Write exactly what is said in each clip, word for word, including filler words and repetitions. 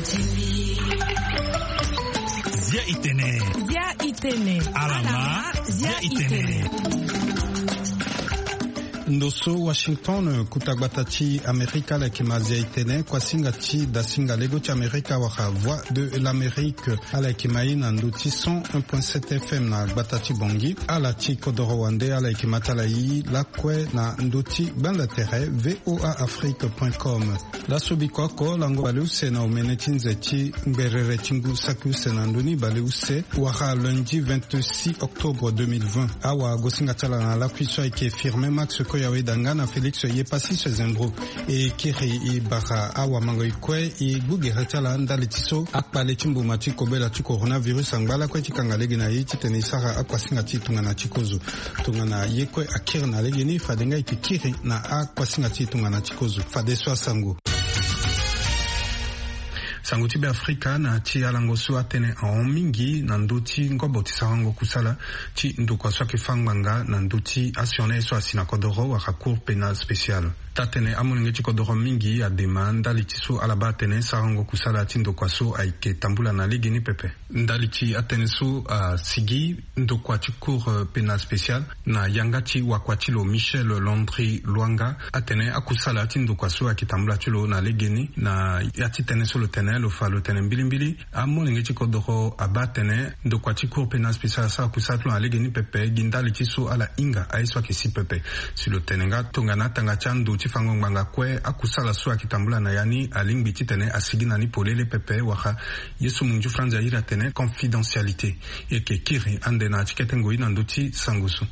Zia itene. Zia itene. Alama. Zia itene. Ndo so Washington, kuta gbata ti Amerika, ala yeke ma Zia itene, kuasinga ti dasinga lego ti Amerika wala Voix de l'Amérique. Ala yeke ma ye na ndo ti cent un point sept F M na gbata ti Bangui. Ala ti kodoro wande, ala yeke ma ti ala ye lakue na ndo ti gbanda tere V O A Afrique point com. Laso biko oko, lango baleuse na omene ti nze ti ngberere ti ngu saki use na ndo ni baleuse, wala lundi vingt-six octobre deux mille vingt. Awagosinga ti ala na lakui so ayeke Firmin Max Koyawe Danga na Félix Yepassis Zembro. E kiri e bara awamango e kue e gbu gere ti ala ndali ti so akpale ti mbuma ti kobela ti coronavirus angba lakue ti kanga lege na e titene e sara akuasinga ti e tongana ti kozo. Tongana ye kue akiri na legeni, fade nga e yeke kiri na akuasinga ti e tongana ti kozo. Fadeso asango. Sango ti Beafrika na ti alango so atene ahon mingi na ndö ti ngobo ti sarango kusala ti ndokua so ayeke fâ ngbanga na ndö ti asioni aye so asi na kodoro wala Cour pénale spéciale. Taa-tënë amolenge ti kodoro mingi adema ndali ti so ala baa atene sarango kusala ti ndokua so ayeke tambula na legeni pepe. Ndali ti atënë so asigi ndokua ti Cour pénale spéciale na yanga ti wakua ti lo Michel Landry Lwanga atene akusala ti ndokua so ayeke tambula ti lo na legeni na ya ti tënë so lo tene lo fa lo tene mbilimbili. Amolenge ti kodoro abaa atene ndokua ti Cour pénale spéciale asara kusala ti lo na legeni pepe gi ndali ti so ala hinga aye so ayeke si pepe. Si lo tene nga tongana atanga ti ando ti fango ngbanga kue akusala so ayeke tambula na ya ni alingbi titene asigi na ni polele pepe wala ye so munju franzi airi atene confidentialité. E yeke kiri ande na ya ti kete ngoi na ndö ti sango so.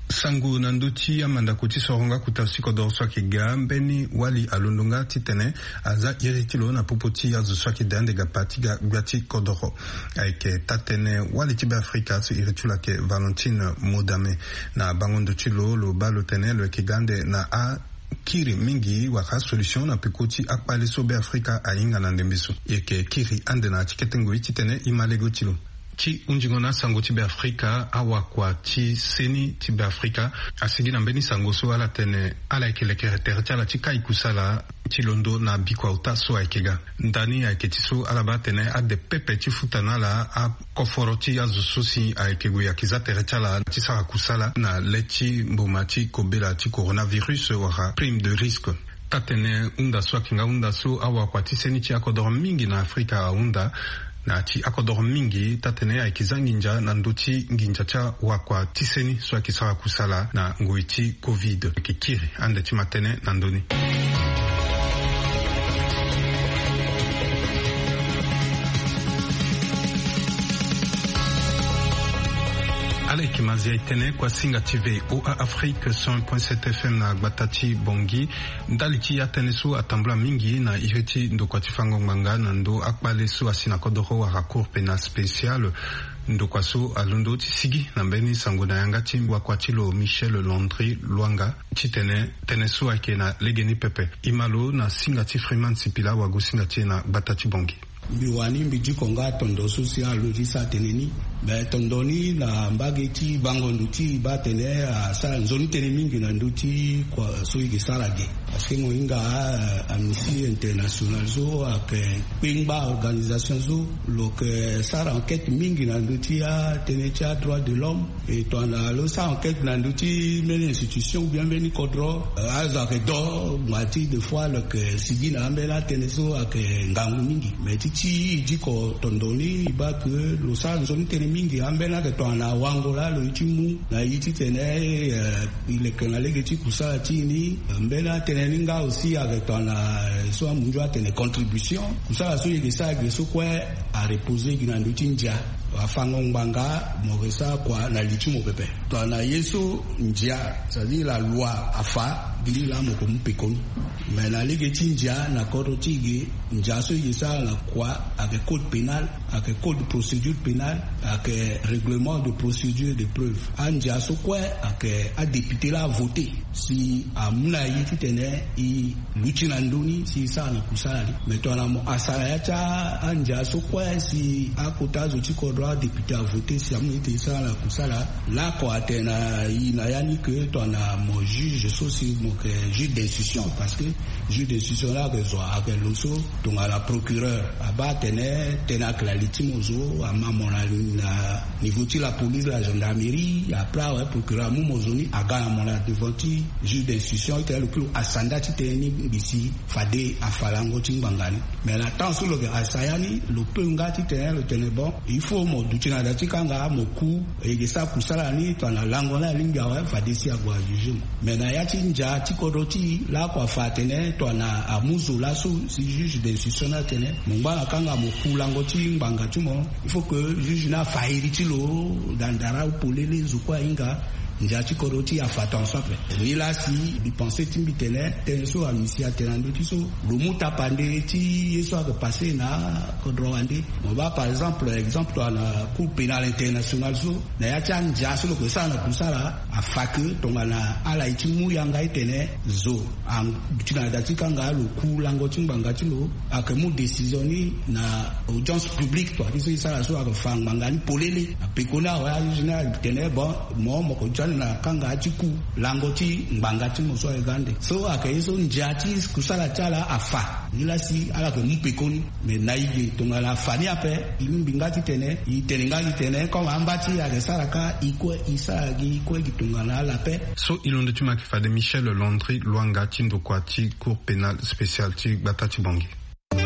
Sango na ndö ti amandako ti sorongo akuta ti kodoro so ayeke ga mbeni wali alondo nga titene aza iri ti lo na popo ti azo so ayeke de ande ga pa ti ga gbia ti kodoro. Ayeke taa-tënë wali ti Beafrika so iri ti lo ayeke Valentine Modame. Na bango ndo ti lo lo baa lo tene lo yeke ga ande na akiri mingi wala solution na peko ti akpale so Beafrika ahinga na ndembe so. E yeke kiri ande na ya ti kete ngoi titene e ma lego ti lo. Ti hunzingo na asango ti Beafrika, awakua ti seni ti Beafrika asigi na mbeni sango so ala tene ala yeke lekere tere ti ala ti kai kusala ti londo na bikua ota so ayeke ga. Ndani ayeke ti so ala baa atene ade pepe ti futa na ala akoforo ti azo so si ayeke gue ayeke za tere ti ala ti sara kusala na le ti mbuma ti kobela ti coronavirus wala prime de risque. Taa-tënë hunda so ayeke nga hunda so awakua ti seni ti akodoro mingi na Afrika ahunda. Na ya ti akodoro mingi taa-tënë ayeke za nginza na ndö ti nginza ti awakua ti seni so ayeke sara kusala na ngoi ti covid. Ayeke kiri ande ti ma tënë na ndö ni. Ala yeke ma Zia itene, kuasinga ti V O A Afrique cent un point sept F M na gbata ti Bangui. Ndali ti atënë so atambula mingi na iri ti ndokua ti fango ngbanga na ndö akpale so asi na kodoro wala Cour pénale spéciale. Ndokua so alondo ti sigi na mbeni sango na yanga ti wakua ti lo Michel Landry Lwanga titene tënë so ayeke na legeni pepe. E ma lo na singa ti Freeman Sipila, awagosinga ti e na gbata ti Bangui. Mbi wani mbi diko nga tondo so si alo ti sara tënë ni. Me tondo ni na mbage ti bango ndo ti e baa atene asara nzoni tënë mingi na ndö ti kua so e ke sara ge. Parce que mo hinga, eh, Amnesty International so ayeke kpengba organisation so lo yeke sara enquête mingi na ndö ti atënë ti adroit de l'homme. E tongana lo sara enquête na ndö ti mbeni institution ou bien mbeni kodro, eh, azo ayeke do ngba ti des fois lo yeke sigi na ambeni atënë so ayeke ngangu mingi. Me ti ti e diko tondo ni e baa ke lo sara nzoni tënë mingi ambeni ayeke tongana wango laa lo ye ti mu na ye titene, eh, e leke na lege ti kusala ti e ni. Mbeni atënë ni nga aussi ayeke tongana, eh, so amunzu atene contribution. Kusala so e yeke sara ge so kue areposer gi na ndö ti ndia. Afango ngbanga mo yeke sara kua na li ti mo pepe. Tongana ye so ndia, c'est-à-dire la loi afa, gi laa mo yeke mu pekoni. Mais na lege ti ndia na kodro ti e ge, ndia so e yeke sara na kua ayeke code pénal, ayeke code procédure pénale, ayeke règlement de procédure de preuve. Andia so kue ayeke adéputé laa avoté si amu na e titene e luti na ndö ni si e sara na kusala ni. Mais tongana mo asara ya ti andia so kue si akota azo ti kodro Député avoté si amu ete e sara na kusala. Lakua atene na i na ya ni ke tongana mo juge so si mo yeke juge d'instruction, parce que juge d'instruction laa ayeke zo ayeke lo so tongana procureur abaa atene tënë ayeke na li ti mo zo ama mo na niveau ti la police la gendarmerie après awe procureur amu mo zo ni aga na mo na devant ti juge d'instruction ti tene lo kiri lo asanda ti tënë ni ngbi si fade afa lango ti ngbanga ni. Mais na temps so lo yeke asa ya ni lo peu nga ti tene lo tene bon, il faut mo duti na da ti kanga mo ku e yeke sara kusala ni tongana lango ni alingbi awe fade si ague ajuge mo. Mais na ya ti ndia ti kodro ti e lakua afa atene tongana amu zo laso si juge d'instruction ni atene mo ngba na kanga mo ku lango ti ngbanga ti mo, il faut que juge ni afa iri ti lo na ndara ou polele zo kue ahinga. Ndia ti kodro ti e afa tongaso ape. Nilaa si mbi pense ti mbi tene tënë so ami si atene na ndö ti so lo mu tapande ti ye so ayeke passe na kodro wande. Mo baa par exemple exemple tongana cour pénale internationale so na ya ti andia so lo yeke sara na kusala afa ke tongana ala ye ti mu yanga ti tene zo aduti na da ti kanga lo ku lango ti ngbanga ti lo. Ayeke mu décision ni na audience publique toi ti so e sara so ayeke fa ngbanga ni polele. Apekoni awe ajuge ni atene bon, mo mo yeke duti ande na kanga ti ku lango ti ngbanga ti mo so ayeke ande so ayeke ye so ndia ti kusala ti ala afa. Nilaa si ala yeke mu pekoni. Mais na e ge tongana afa ni ape e lingbi nga ti tene e tene nga ti tene comme amba ti e ayeke sara kâ e kue e sara gi e kue gi tongana ala ape. So e londo ti mo ayeke fade Michel Landry Lwanga ti ndokua ti Cour pénale spéciale ti gbata ti Bangui. E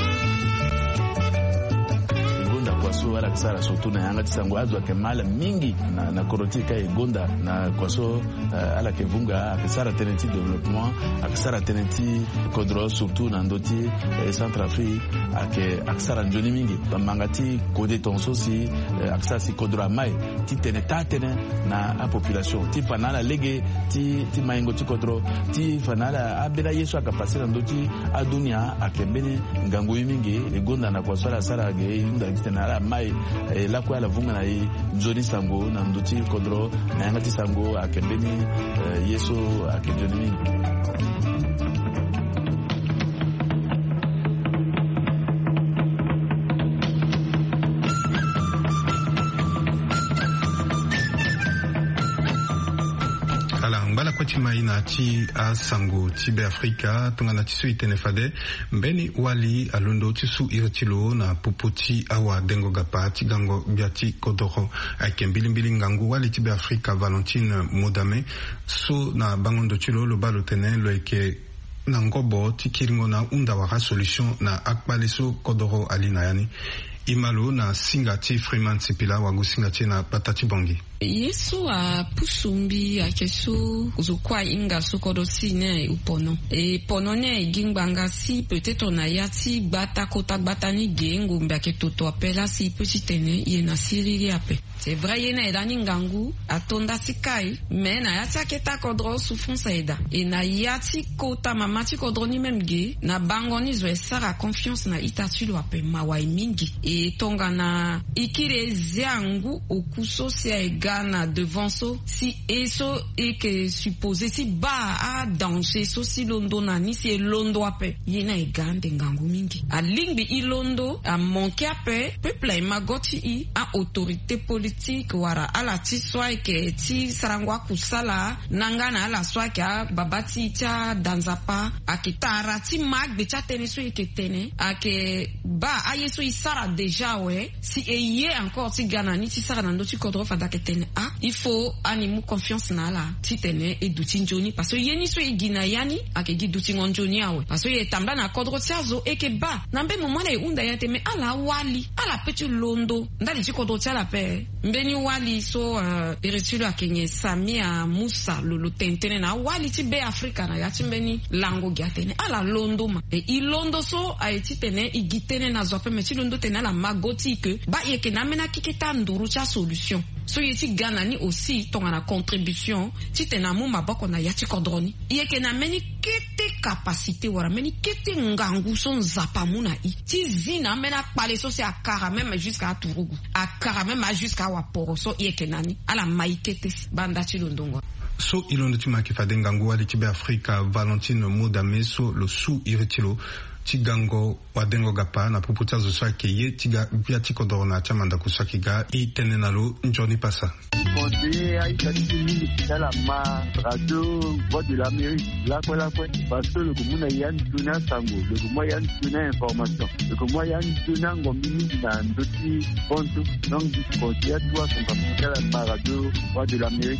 gonda kua so ala yeke sara surtout na yanga ti sango azo ayeke ma ala mingi na, na kodro ti e ka e gonda na kua so, eh, ala yeke vunga ayeke sara tënë ti développement, ayeke sara tënë ti kodro surtout na ndö ti, eh, Centrafrique ayeke, ayeke sara nzoni mingi. Manga ti kode tongaso si, eh, ayeke sara si kodro amai ti tene taa tënë na apopulation ti fa na ala lege ti, ti maingo ti kodro ti fa na ala ambeni aye so ayeke passe na ndö ti adunia ayeke mbeni ngangu ye mingi. E gonda na kua so ala sara ge e hunda gi tene ala mai, eh, lakue ala vunga na e nzoni sango na ndö ti kodro na yanga ti sango ayeke mbeni, eh, ye so ayeke nzoni mingi. Ala ngba lakue ti ma e na ya ti asango ti Be Afrika tongana ti so e tene fade mbeni wali alondo ti su iri ti lo na popo ti awadengo gapa ti gango gbia ti kodoro. Ayeke mbilimbili ngangu wali ti Be Afrika Valentine Modame so na bango ndo ti lo lo baa lo tene lo yeke na ngobo ti kiringo na ahunda wala asolution na akpale so kodoro ali na ya ni. E ma lo na singa ti Freeman Sipila wago singa ti e na gbata ti Bangui. Ye so apusu mbi ayeke so zo kue ahinga so kodro ti e ni aye pono. E pono ni aye gi ngbanga si peut-être na ya ti gbata kota gbata ni ge ngombe ayeke toto ape laa si e peut ti tene e ye na siriri ape. C'est vrai ye ni aye lani ngangu ato nda ti kai. Mais na ya ti akete akodro souffrance aye daa. E na ya ti kota mama ti kodro ni même ge na bango ni zo e sara confiance na ita ti lo ape mawa ye mingi. E tongana e kiri e zia ngu oku so si aye ga na devant so si e so e yeke supposé ti baa adanger so si londo na ni si e londo ape. Ye ni aye ga ande ngangu mingi. Alingbi e londo amanke ape. Peuple aye ma go ti e. Aautorité politique wala ala ti so ayeke ti sarango akusala na nga na ala so ayeke ababa ti e ti ada nzapa ayeke tara ti ma agbe ti atënë so e yeke tene ayeke baa aye so e sara déjà awe. Si e ye encore ti ga na ni ti sara na ndö ti kodro fade ayeke tene ah il faut ani mu confiance na ala titene e duti nzoni parce que ye ni so e gi na ya ni ayeke gi dutingo nzoni awe parce que e tambula na kodro ti azo e yeke baa na mbeni moment ala e hunda ya te mais ala awali ala pe ti londo ndali ti kodro ti ala ape. Mbeni wali so iri ti lo ayeke nyen Samia Musa lo lo tene tënë na awali ti Be Afrika na ya ti mbeni lango gi atene ala londo ma e e londo so aye titene e gi tënë na zo ape me ti londo tene ala ma go ti e ke baa e yeke na ambeni akeke ti anduru ti asolution so e ye ti ga na ni aussi tongana contribution titene amu maboko na ya ti kodro ni. E yeke na mbeni kete capacité wala mbeni kete ngangu so Nzapa amu na e ti zi na ambeni akpale so si akara même jusqu'à aturugu akara même ajusqu'à awaporo so e yeke na ni ala ma e kete si banda ti londongo. So e londo ti ma ayeke fade ngangu wali ti Be Afrika Valentine Modame so lo su iri ti lo Ti gango wadengo gapa na popo ti azo so ayeke ye ti ga gbia ti kodoro na ya ti amandako so ayeke ga. E tene na lo nzoni pasa. Conseiller aita ti mingi ti ala ma radio Voix de l'Amérique lakue lakue, parce que lo yeke mu na ya nzoni asango, lo yeke mu ya nzoni a-information, lo yeke mu ya nzoni angombi mingi na ndö ti bontu. Donc conseiller atu asango ti ala ma radio Voix de l'Amérique.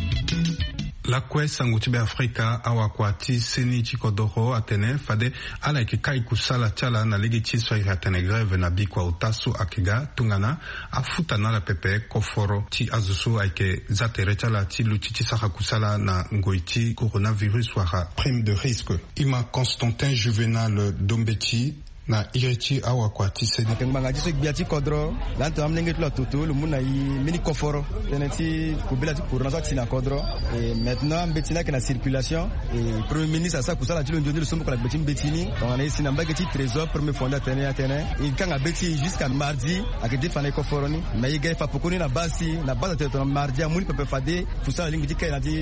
Lakue sango ti Be Afrika, awakua ti seni ti kodoro atene fade ala yeke kai kusala ti ala na lege ti so ayeke atene grève na bikua ota so ayeke ga tongana afuta na ala pepe koforo ti azo so ayeke za tere ti ala ti luti ti sara kusala na ngoi ti coronavirus wala prime de risque. E ma Constantin Juvenal Dombeti na iri ti awakua ti seni. Ayeke ngbanga ti so gbia ti kodro laa tongana amolenge ti lo atoto lo mu na e mbeni koforo tënë ti kobela ti corona so ati na kodro. E maintenant mbeti ni ayeke na circulation. E premier ministre asara kusala ti lo nzoni lo so moko na gbe ti mbeti ni tongana e si na mbage ti trésor premier fondé atene atene e kanga be ti e jusqu'à mardi. Ayeke defa na e koforo ni. Mais e ga e fa pekoni na base ti na base atene tongana mardi amu ni pepe fade kusala alingbi ti kai na ya ti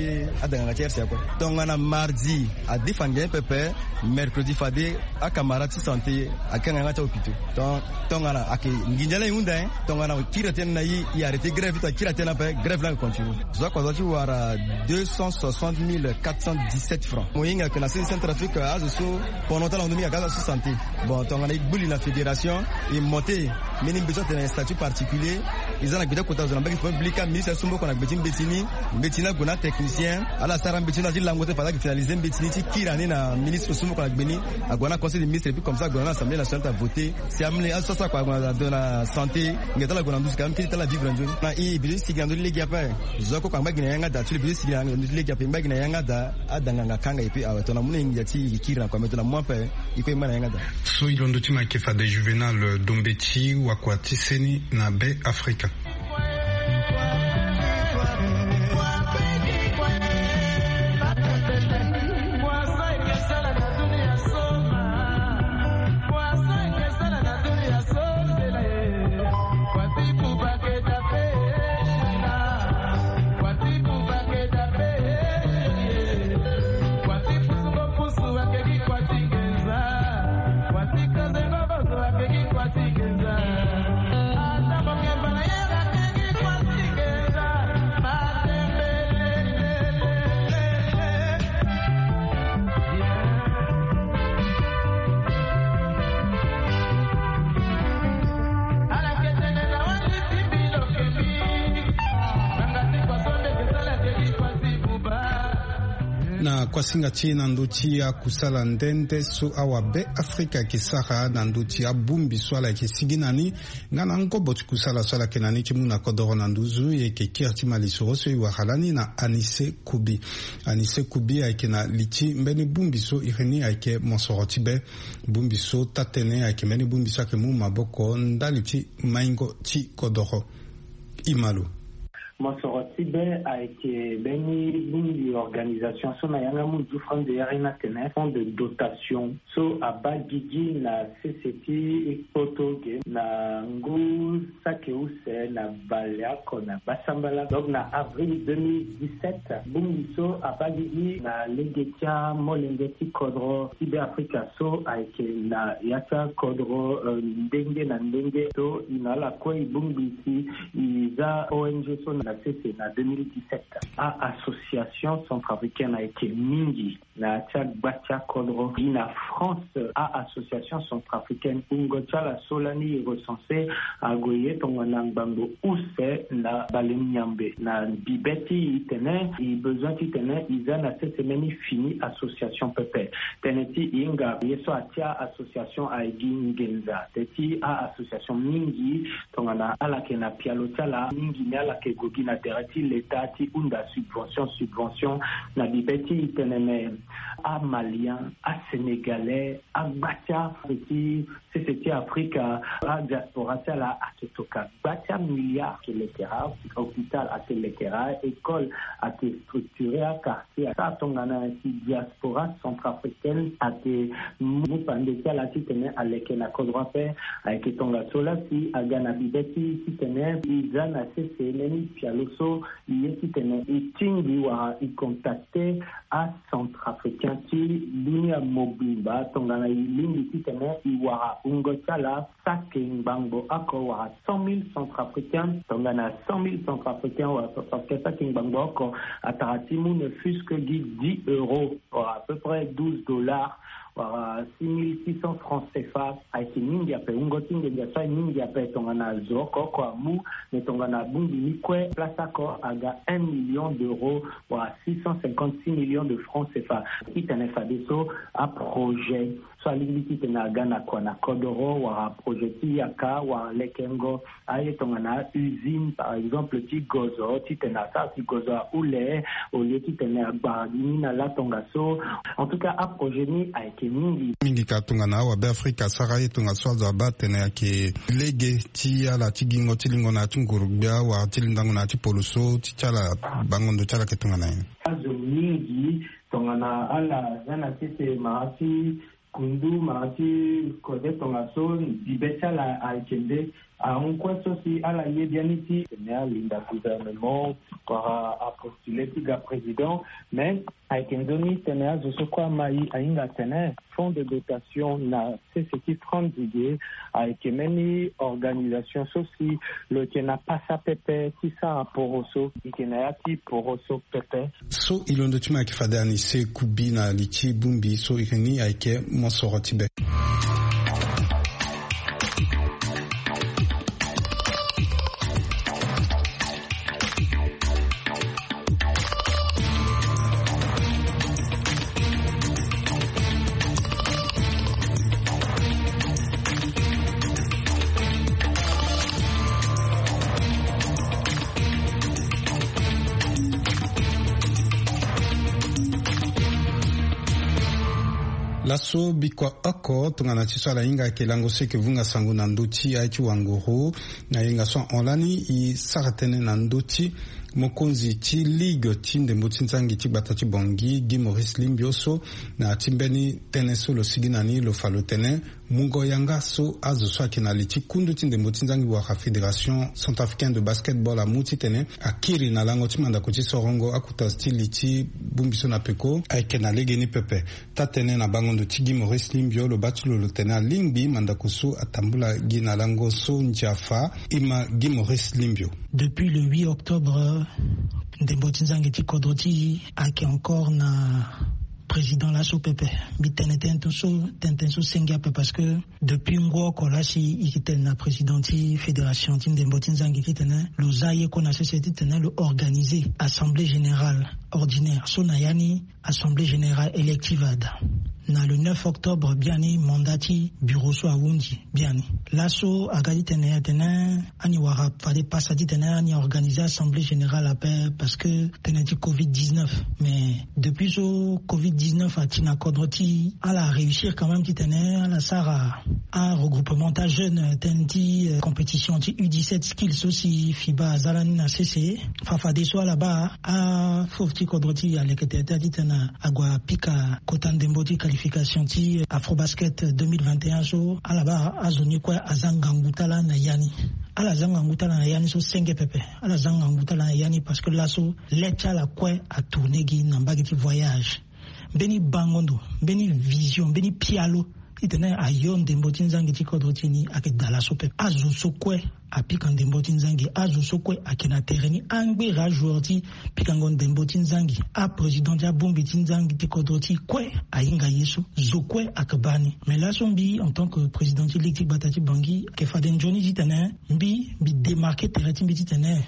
adanganga ti R C A kue. Tongana mardi adefa ngia ni pepe, mercredi fade acamarade ti santé akanga yanga ti ahôpitaux. Ton- tongana ayeke nginza la e hunda e tongana kiri atene na e e arrêté grève ti tongana kiri atene ape grève la ayeke continue. Zo akua zo ti wara deux cent soixante mille quatre cent dix-sept francs. Mo hinga ayeke na sese centrafrique azo so pendant ti ala hundu mingi ayeke azo so santé. Bon tongana e gbu li na fédération e monté mbeni mbeti so atene statut particulier. E za na gbe ti akota zo na mbage ti public ka ministre asu moko na gbe ti mbeti ni. Mbeti ni ague na atechnicien ala sara mbeti ni na ti lango te fade ayeke finalisé mbeti ni ti kiri ani na ministre asu moko na gbe ni. Ague na conseil de ministre et puis comme ça ague na assemblée nationale ti avoté. Si amolenge azo so asara kua ague na santé ngia ti ala ague na nduzu ka amolenge ti ala vivre nzoni na e e bi ti sigi na ndö ti lege ape. Zo akue kua angba gi na yanga daa ti lo e bi ti sigi na ndö ti lege ape e ngba gi na yanga daa. Adanganga akanga e pe awe tongana amu na e ngia ti e kiri na kua me tongana amu ape. E kue e ngba na yanga daa. So e londo ti ma ayeke fade Juvenal Dombeti wakua ti seni na Be Afrika. Na kuasinga ti e na ndö ti akusala nde nde so awa Be Afrika ayeke sara na ndö ti abongbi so ala yeke sigi na ni nga na ngobo ti kusala so ala yeke na ni ti mu na kodoro na nduzu. E yeke kiri ti malisoro so e wara lani na Anise Kubi. Anise Kubi ayeke na li ti mbeni bongbi so iri ni ayeke mosoro ti be. Bongbi so taa-tënë ayeke mbeni bongbi so ayeke mu maboko ndali ti maingo ti kodoro. E ma lo. Mosoro ti be ayeke mbeni bongbi organisation so na yanga mu nzu France de yari ni atene fonds de dotation so abaa gigi na sese ti kpoto ge na ngu saki use na baleoko na gbasambala. Donc na avril deux mille dix-sept bongbi so abaa gigi na lege ti amolenge ti kodro ti Be Afrika so ayeke na ya ti akodro, euh, ndenge na ndenge so e na ala kue e bongbi si e za O N G so na sese na deux mille dix-sept. A-association centrafricaine ayeke mingi na ya ti agba ti akodro gi na France. A-association centrafricaine wungo ti ala so lani e recense ague ye tongana ngbangbo use na bale miambe na bibe ti e tene e besoin ti tene e za na sese mbeni fini association pepe. Tënë ti e hinga ye so atia association aye gi nginza te ti a-association mingi tongana ala yeke na pialo ti ala mingi ni ala yeke gue gi na tere ti leta ti hunda subvention subvention na bibe ti e tene me. Amalien, asénégalais, agba ti ape ti sese ti Afrika, adiaspora ti ala ayeke toka gba ti amilliard ayeke lekera, hôpital ayeke lekera, école ayeke structuré, aquartier asara tongana si diaspora centrafricaine ayeke mu pande ti ala titene aleke na kodro ape. Ayeke tongaso laa si aga na bibe ti titene e za na sese mbeni pialo so I ye titene i tingbi wala i contacter acentrafricain ti dunia mobimba tongana i lingbi titene i wara wungo ti ala saki ngbangbo oko wala cent mille centrafricain. Tongana cent mille centrafricain wala centrafricain saki ngbangbo oko, atara ti mu ne fût-ce que gi dix euros wala à peu près douze dollars wala six mille six cents francs cfa. Ayeke mingi ape, wungo ti nginza so aye mingi ape tongana zo oko oko amu. Mais tongana abongbi ni kue, place oko aga un million d'euros wala six cent cinquante-six millions de francs cfa. Titene fadeso aprojet so alingbi titene aga na kua na kodoro wala projet ti yaka wala lekengo aye tongana usine par exemple ti gozo titene asara si gozo ahule au lieu titene agbara gi ni na la tongaso. En tout cas aprojet ni ayeke mingi. Mingi ka tongana awabe afrika asara ye tongaso azo abaa atene ayeke lege ti ala ti gingo ti lingo na ya ti nguru-gbia wala ti lindango na ya ti poloso ti ti ala. Bango ndo ti ala ayeke tongana nyen? Azo mingi tongana ala za na sese mara ti kundu mara ti kode tongaso bibe ti ala ayeke nde ahon kue so si ala ye biani ti tene alinda gouvernement wala apostule ti ga président. Mais ayeke nzoni tene azo so kue ama i ahinga atene fonds de dotation na sese ti franc digue ayeke mbeni organisation so si lo yeke na pasa pepe ti sara poroso. I yeke na ya ti poroso pepe. So i londo ti ma ayeke fade ani se kubi na li ti bongbi so i yeke ni ayeke mosoro ti be. Laso bikua oko tongana ti so ala hinga ayeke lango so eke vunga sango na ndö ti aye ti wanguru. Na yenga so ahon lani e sara tënë na ndö ti mokonzi ti ligue ti ndembo ti nzangi ti gbata ti bongi gi maurice limbio so na ya ti mbeni tënë so lo sigi na ni lo fa lo tene mungo yanga so azo so ayeke na li ti kundu ti ndembo ti nzangi wala fédération centrafricaine de basketball amu titene akiri na lango ti mandako ti sorongo akota ti li ti bongbi so na peko ayeke na legeni pepe. Taa-tënë na bango ndo ti gi maurice limbio lo baa ti lo lo tene alingbi mandako so atambula gi na lango so ndia fa. E ma gi maurice limbio. Depuis le huit octobre ndembo ti nzangi ti kodro ti e ayeke encore na président laso pepe. Mbi tene tënë so tënë so senge ape parce que depuis ngu oko lasi e yeke tene na président ti fédération ti ndembo ti nzangi titene lo za ye kue na sese titene lo organiser assemblée générale ordinaire so na ya ni assemblée générale élective ada na le neuf octobre biani mandat ti bureau so ahunzi biani. Laso aga titene atene ani wara fade pasa titene ani organiser assemblée générale ape parce que tënë ti covid dix-neuf. Mais depuis so covid dix-neuf ati na kodro ti ala aréussir quand même titene ala sara aregroupement ta jeune tënë ti compétition ti u dix-sept skills so si fiba aza lani na sese. Fa fadeso ala baa afofo ti kodro ti e aleke tere ti atitene ague apika kota ndembo ti qualification ti afrobasket deux mille vingt et un so ala baa azo ni kue aza ngangu ti ala na ya ni. Ala za ngangu ti ala na ya ni so senge pepe. Ala za ngangu ti ala na ya ni parce que laso le ti ala kue atourne gi na mbage ti voyage. Mbeni bango ndo mbeni vision mbeni pialo titene ayo ndembo ti nzangi ti kodro ti e ni ayeke daa laso pepe. Azo so kue apika ndembo ti nzangi azo so kue ayeke na tere ni angbere ajoueur ti pikango ndembo ti nzangi aprésident ti abongbi ti nzangi ti kodro ti e kue ahinga ye so zo kue ayeke baa ni. Mais laso mbi en tant que président ti ligue ti gbata ti bangi ayeke fade nzoni titene mbi mbi démarquer tere ti mbi titene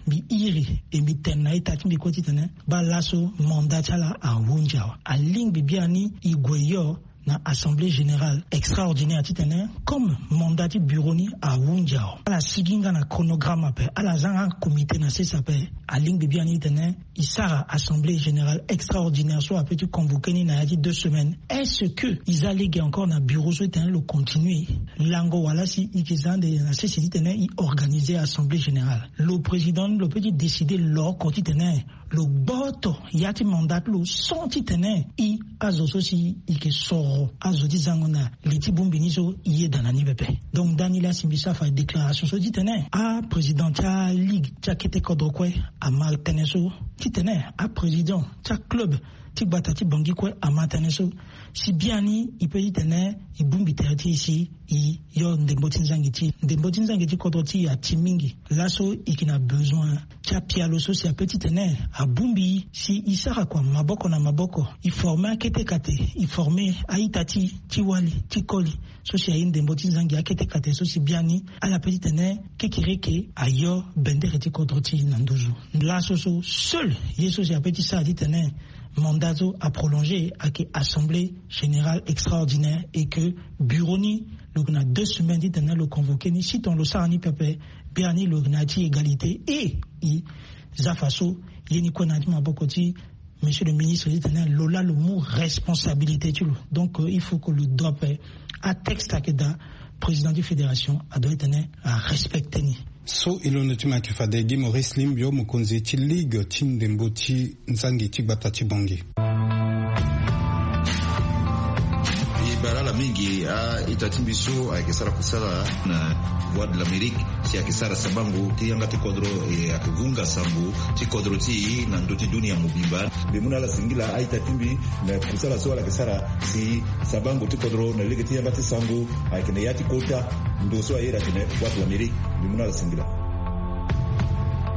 mbi iri e mbi tene na ita ti mbi kue titene baa laso mandat ti ala ahunzi awe. Alingbi biani e gue yo na assemblée générale extraordinaire titene comme mandat ti bureau ni ahunzi awe ala sigi nga na chronogramme ape ala za nga comité na sese ape. Alingbi biani titene e sara assemblée générale extraordinaire so ape ti convoquer ni na ya ti deux semaines. Est-ce que e za lege encore na bureau so titene lo continuer lango wala si e yeke za ande na sese titene e organiser assemblée générale? Lo président ni lo peut ti décider lo oko titene lo gboto ya ti mandat ti lo, sans titene i azo so si i ke soro azo ti zango na li ti bongbi ni so i yeda na ni pepe. Donc ndani laa si mbi sara fa déclaration so titene aprésident ti aligue ti akete kodro kue ama tënë so, titene aprésident ti aclub ti gbata ti Bangui kue ama tënë so. Si biani i pe titene i bongbi tere ti i si i yo ndembo ti nzangi ti i, ndembo ti nzangi ti kodro ti i ati mingi. Laso i ke na besoin ti apialo so si ape titene abongbi i si i sara kua maboko na maboko, i forme akete kate, i forme a-ita ti i ti wali ti koli so si aye ndembo ti nzangi akete kate so si biani ala pe titene kekereke ayo bendere ti kodro ti i na nduzu. Laso so seul ye so si ape ti sara titene mandat so aprolongé ayeke assemblée générale extraordinaire et que bureau ni lo yeke na deux semaines titene lo convoqué ni, si tongana lo sara ni pepe, biani lo yeke na ya ti égalité. Et i za faso ye ni kue na ya ti maboko ti monsieur le ministre titene lo laa lo mu responsabilité ti lo. Donc il faut que lo doit pe atexte ayeke daa président ti fédération adoit titene arespecte ni. So e londo ti mo ayeke fade Guy Maurice Limbio, mokonzi ti ligue ti ndembo ti nzangi ti gbata ti Bangui. E baa ala mingi a-ita ti mbi so ayeke sara kusala na Voix de l'Amérique si ayeke sara sabango ti yanga ti kodro, e ayeke vunga sango ti kodro ti e na ndö ti dunia mobimba. Mbi mu na ala singila a-ita ti mbi na kusala so ala yeke sara si sabango ti kodro na lege ti yanga ti sango ayeke na ya ti kota ndo so aye atene Voix de l'Amérique. Mbi mu na ala singila.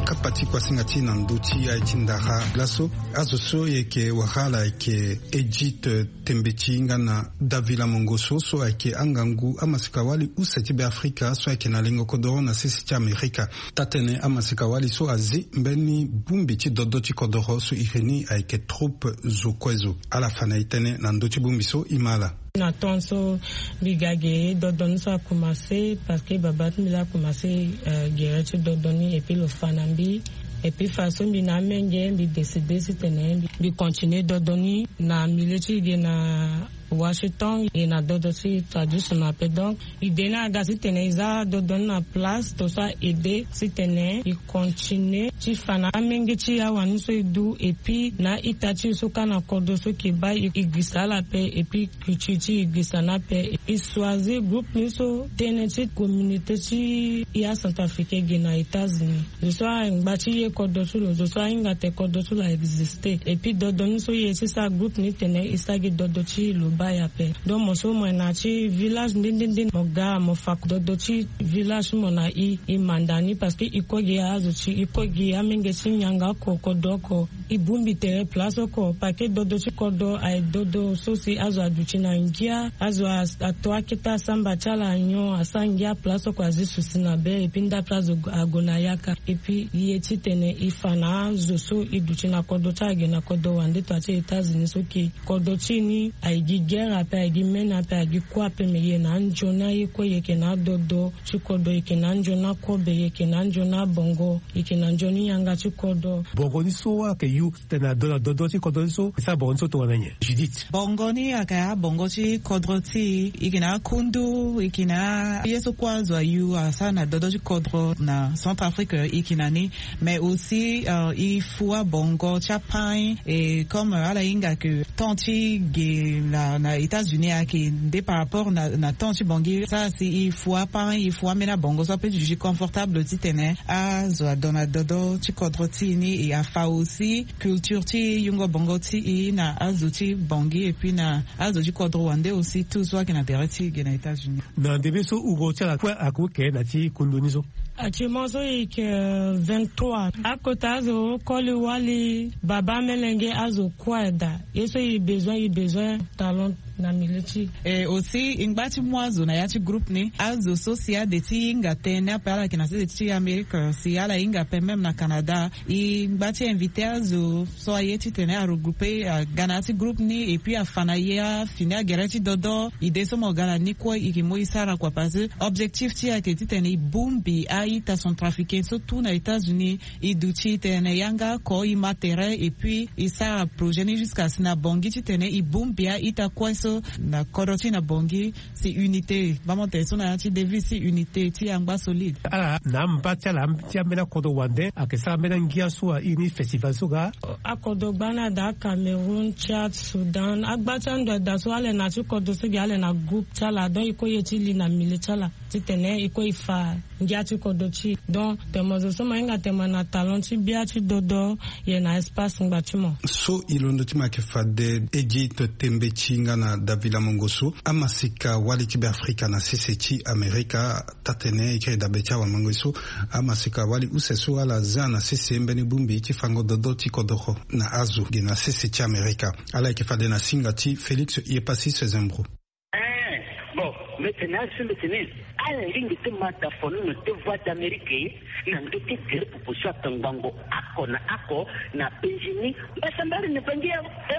Kapa ti kuasinga ti na ndö ti aye ti ndara laso, azo so e yeke wara ala ayeke Edith Tembeti nga na Davila Mongoso so ayeke angangu amasika-wali use ti Beafrika so ayeke na lengo kodoro na sese ti Amerika. Taa-tënë amasika-wali so azi mbeni bongbi ti dodo ti kodoro so iri ni ayeke troupe zo kue zo. Ala fa na e tënë na ndö ti bongbi so e ma ala. Na temps so mbi ga ge dodo ni so akomanse parce que baba ti mbi laa akomanse, euh, gere ti dodo ni et puis lo fa na mbi. Et puis façon mbi na amenge mbi décidé titene mbi, mbi continue dodo ni na milieu ti e ge na Washington, e na dodo ti traditionnel ape. Donc idée ni aga titene e za dodo ni na place to so a aidé titene e continue ti fa na amenge ti e awani so e du, et puis na a-ita ti e so kâ na kodro so e ke baa e, e gisa ala ape, et puis culture ti e gisa ni ape. E choisir groupe ni so tënë ti communauté ti e acentrafricain e ge na États-Unis. Zo so angba ti ye kodro ti lo, zo so ahinga te kodro ti lo a existé. Et puis dodo ni so e ye ti sara groupe ni tene e sara gi dodo ti lo baa e ape. Donc mo so mo yeke na ya ti village nde nde nde, mo ga mo fa dodo ti village ti mo na e, e manda ni parce que e kue gi azo ti e, e kue gi amenge ti nyango oko, kodro oko. E bongbi tere place oko, parce que dodo ti kodro aye dodo so si azo aduti na ngia, azo a, ato akete asamba ti ala nyon, asara ngia place oko, azi susi na be, et puis ndape azo ague na yaka. Et puis e ye titene e fa na azo so e duti na kodro ti ala ge na kodro wande to ya ti États-Unis so ke kodro ti e ni aye gi guerre ape, aye gi mene ape, aye gi kue ape, me e yeke na anzoni aye kue, e yeke na adodo ti kodro, e yeke na anzoni akobe, e yeke na anzoni abongo, e yeke na nzoni yanga ti kodro. Bongo ni so ayeke yu tene na do, na dodo ti kodro ni so, e sara bongo ni so tongana nyen, Judith? Bongo ni ayeke abongo ti kodro ti e, e yeke na akundu, e yeke na ye so kue azo ayu asara na dodo ti kodro na Centrafrique, e yeke na ni. Mais aussi, euh, e fua bongo ti apain, et comme, euh, ala hinga ke temps ti ge na, na États-Unis ayeke nde par rapport na, na temps ti Bangui. Sara si e fua apain, e fua ambeni abongo so ape ti duti confortable titene azo adon na dodo ti kodro ti e ni, e afa aussi culture ti yungo bongo ti e na azo ti Bangui, et puis na azo ti kodro wande aussi, tout so ayeke na tere ti e ge na États-Unis. Na ndembe so uro ti ala kue ague ke na ti kundu ni so? Actuellement so e yeke, euh, vingt-trois. Akota azo koli wali, baba, melenge, azo kue daa. Ye so e besoin, e besoin talent na milieu ti e. Et aussi e ngba ti mu azo na ya ti groupe ni. Azo so si ade ti hinga tënë ape, ala yeke na sese ti Amérique, si ala hinga ape même na Canada, e ngba ti invité azo so aye titene aregroupe, aga na ya ti groupe ni, et puis afa na e afini agere ti dodo. Idée so mo ga na ni kue e yeke mu e sara kua, parce que objectif ti e ayeke titene e bongbi a-ita centrafricain so tout na États-Unis. E duti titene yanga oko, e ma tere, et puis e sara projet ni jusqu'à si na Bangui titene e bongbi a-ita kue so Na kodro ti na Bangui, si unité. Bamo tene so na ya ti devise, si unité ti angba solide. Ala na amba ti ala ti ambeni akodro wande ayeke sara ambeni angia so airi ni festival so ga. Akodro gba ni ada Cameroun, Tchad, Soudan, agba ti ando ada so ala na ti kodro so gi ala na groupe ti ala, donc e ko ye ti li na milieu ti ala titene e ko e fa ngia ti kodro ti e. Donc tene mo zo so mo hinga tene mo na talent ti bia ti dodo, ye na espace ngba ti mo. So e londo ti mo ayeke fade Egypte, tembe ti nga na Davila Mongo so, amasika wali ti Beafrika na sese ti Amerika. Taa-tene e kiri dabe ti awamango so, amasika wali use so ala za na sese mbeni bongbi ti fango dodo ti kodoro na azo ge na sese ti Amerika. Ala yeke fade na singa ti Félix Yepasis Zembro. Eh, bon, mbi tene azo so mbi tene ala lingbi ti ma tafonono ti Voix d'Amérique na ndö ti gere pupu so atongbango oko na oko na penzi ni. Mbasambari ni Bangui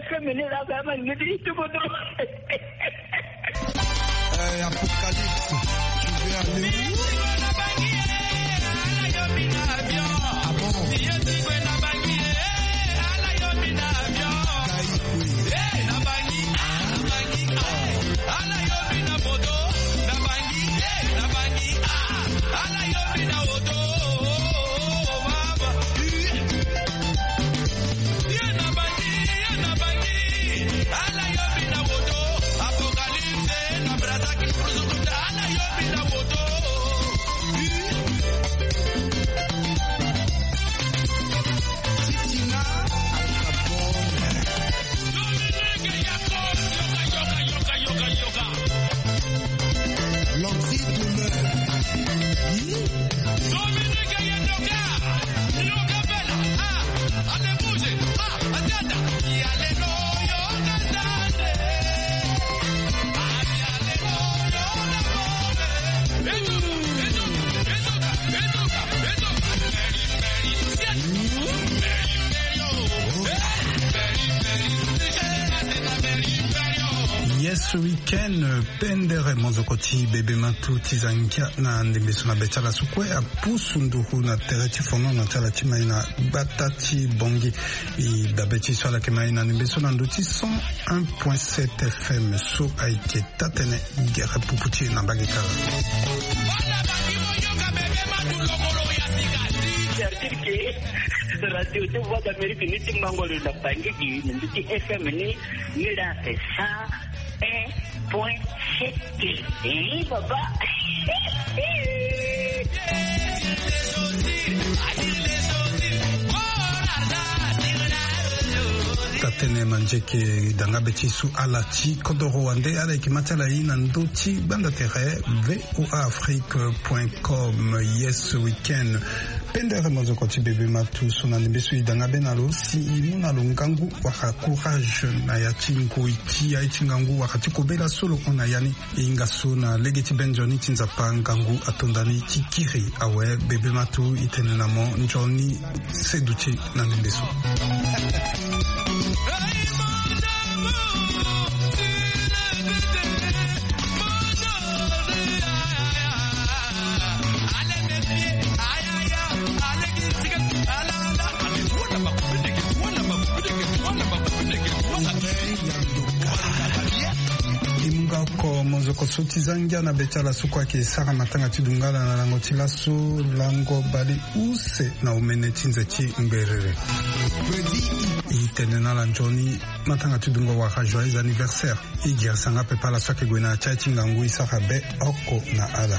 FM ni laa, ama ngedi ti kodro. Eh, Apocalypse, tu veux aller où? Ah bon? Yes Weekend, pendere monzoko ti bebe matu ti za ngia na ndembe so na be ti ala so kue apusu nduru na tere ti fonono ti ala ti mai na gbata ti Bangui. E dabe ti so ala yeke mai na ndembe so na ndö ti cent un point sept FM so ayeke taa-tene gere pupu ti e na mbage kala. Certif ke radio ti Voix d'Amérique ni ti mango lo na Bangui gi na ndö ti FM ni, ni la ake cent un point sept. Eh, baba. Taa-tene manzeke danga be ti so ala ti kodoro wande, ala yeke ma ti ala ye na ndö ti gbanda tere V O A Afrique point com. Yes Weekend. Pendere monzoko ti bebe matu so na ndembe so e danga be na lo si e mu na lo ngangu wala courage na ya ti ngoi ti aye ti ngangu wala ti kobela so lo hon na ya ni. E hinga so na lege ti be nzoni ti Nzapa ngangu ato nda ni ti kiri awe. Bebe matu e tene na mo nzoni seduti na ndembe so. E mu nga oko monzoko so ti za ngia na be ti ala so kue ayeke sara matanga ti dungala na lango ti laso lango bale use na omene ti nze ti ngberere. E tene na ala nzoni matanga ti dungo wala joyeux anniversaire. E girisa nga pepe ala so ayeke gue na ya ti aye ti ngangu, e sara be oko na ala.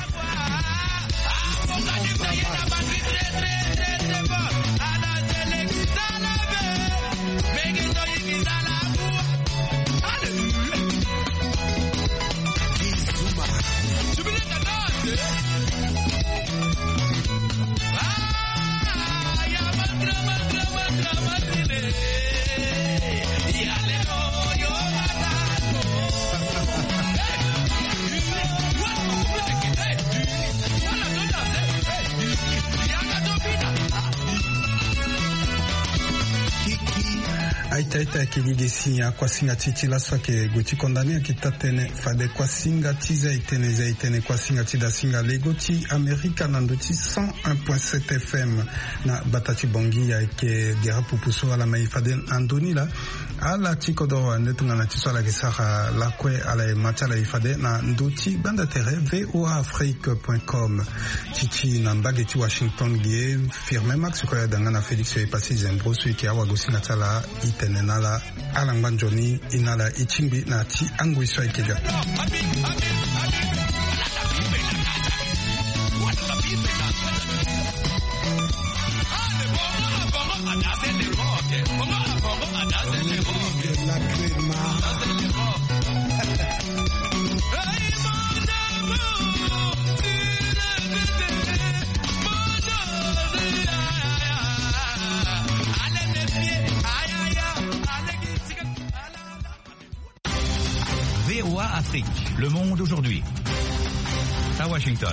Ita ita ayeke gi gi si akuasinga ti e ti laso ayeke gue ti condamné ayeke taa-tënë fade kuasinga ti zia-etene zia-etene kuasinga ti dasinga lego ti Amerika na ndö ti cent un point sept F M. Na bata ti Bangui ayeke gere pupu so ala ma e fade na ndö ni laa. Ala ti kodoro ande tongana ti so ala yeke sara lakue ala ye ma ti ala e fade na ndö ti gbanda tere V O A Afrique point com. Ti ti na mbage ti Washington ge Firmin Max Koyada nga na Félix Epassi Zembro so e yeke awagosinga ti ala e tene na ala. Ala ngba nzoni e na ala e tingbi na ti angoi so ayeke ga. V O A Afrique, le monde aujourd'hui. À Washington.